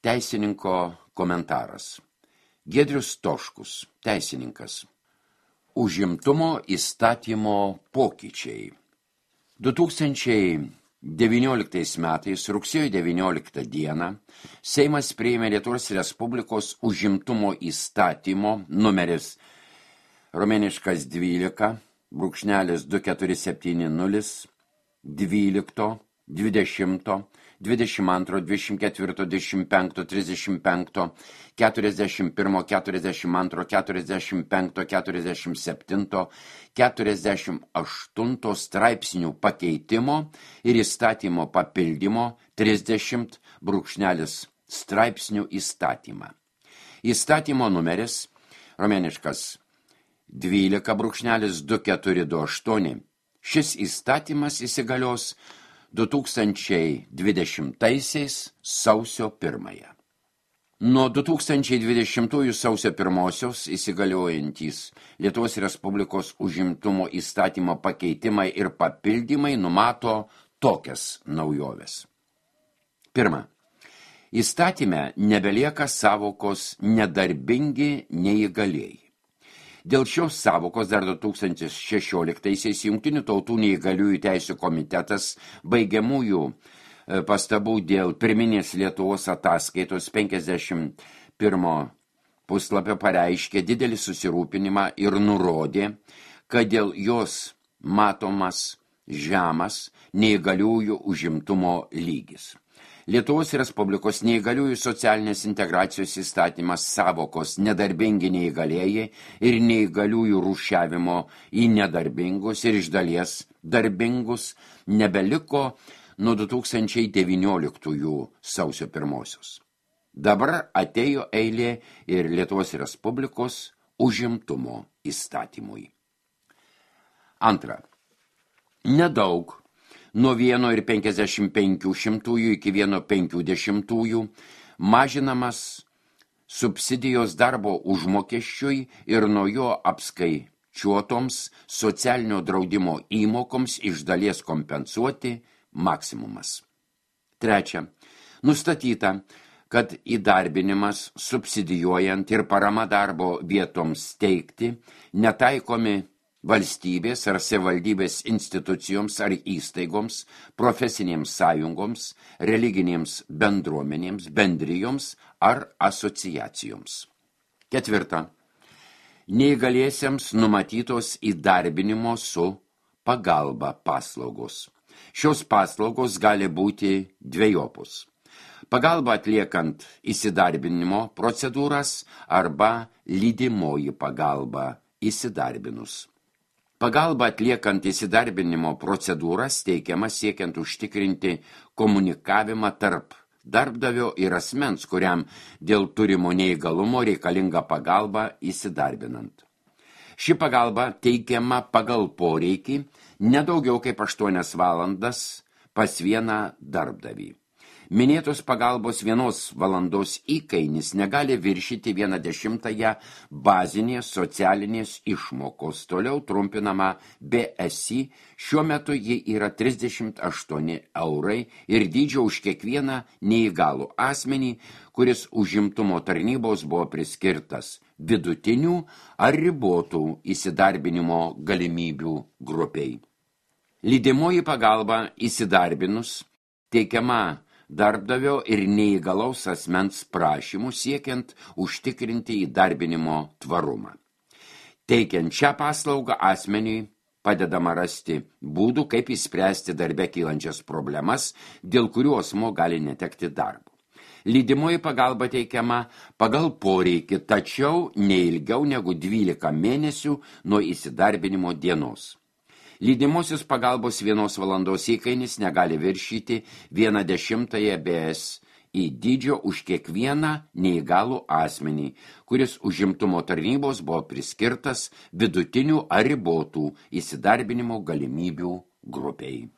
Teisininko komentaras. Giedrius Toškus, teisininkas. Užimtumo įstatymo pokyčiai. 2019 metais rugsėjo 19 dieną Seimas priėmė Lietuvos Respublikos užimtumo įstatymo numeris romėniškas 12, brūkšnelis 2470, 12, 20, 22, 24, 25, 35, 41, 42, 45, 47, 48 straipsnių pakeitimo ir įstatymo papildymo 30 brūkšnelis straipsnių įstatymą. Įstatymo numeris romėniškas 12 brūkšnelis 2428. Šis įstatymas įsigalios 2020 sausio 1. Nuo 2020 sausio 1 įsigaliojantys Lietuvos Respublikos užimtumo įstatymo pakeitimai ir papildymai numato tokias naujoves. Pirma. Įstatyme nebelieka savokos nedarbingi neįgalieji. Dėl šios savokos dar 2016-aisiais Jungtinių tautų neįgaliųjų teisių komitetas baigiamųjų pastabų dėl pirminės Lietuvos ataskaitos 51 puslapio pareiškė didelį susirūpinimą ir nurodė, kad dėl jos matomas žemas neįgaliųjų užimtumo lygis. Lietuvos Respublikos neįgaliųjų socialinės integracijos įstatymas savokos nedarbingi neįgalėjai ir neįgaliųjų rūšiavimo į nedarbingus ir iš dalies darbingus nebeliko nuo 2019 sausio 1. Dabar atėjo eilė ir Lietuvos Respublikos užimtumo įstatymui. Antra. Nedaug. Nuo 1,55 iki 1,50 mažinamas subsidijos darbo užmokesčiui ir nuo jo apskaičiuotoms socialinio draudimo įmokoms iš dalies kompensuoti maksimumas. Trečia. Nustatyta, kad įdarbinimas subsidijuojant ir parama darbo vietoms teikti netaikomi valstybės ar savivaldybės institucijoms ar įstaigoms, profesinėms sąjungoms, religinėms bendruomenėms, bendrijoms ar asociacijoms. Ketvirta. Neįgaliesiems numatytos įdarbinimo su pagalba paslaugos. Šios paslaugos gali būti dvejopus. Pagalba atliekant įsidarbinimo procedūras arba lydimoji pagalba įsidarbinus. Pagalba atliekant įsidarbinimo procedūras teikiama siekiant užtikrinti komunikavimą tarp darbdavio ir asmens, kuriam dėl turimo neįgalumo reikalinga pagalba įsidarbinant. Ši pagalba teikiama pagal poreikį nedaugiau kaip 8 valandas pas vieną darbdavį. Minėtos pagalbos 1 valandos įkainis negali viršyti 1/10 bazinės socialinės išmokos, toliau trumpinama BSI, šiuo metu ji yra 38 eurai ir dydžio už kiekvieną neįgalų asmenį, kuris užimtumo tarnybos buvo priskirtas vidutinių ar ribotų įsidarbinimo galimybių grupiai. Lydimoji pagalba įsidarbinus teikiama darbdavio ir neįgalaus asmens prašymų siekiant užtikrinti įdarbinimo tvarumą. Teikiant šią paslaugą asmeniui padedama rasti būdų, kaip išspręsti darbe kylančias problemas, dėl kurių asmuo gali netekti darbo. Lydimoji pagalba teikiama pagal poreikį, tačiau neilgiau negu 12 mėnesių nuo įsidarbinimo dienos. Lydimosios pagalbos 1 valandos įkainis negali viršyti 1/10 BSI dydžio už kiekvieną neįgalų asmenį, kuris užimtumo tarnybos buvo priskirtas vidutinių ar ribotų įsidarbinimo galimybių grupiai.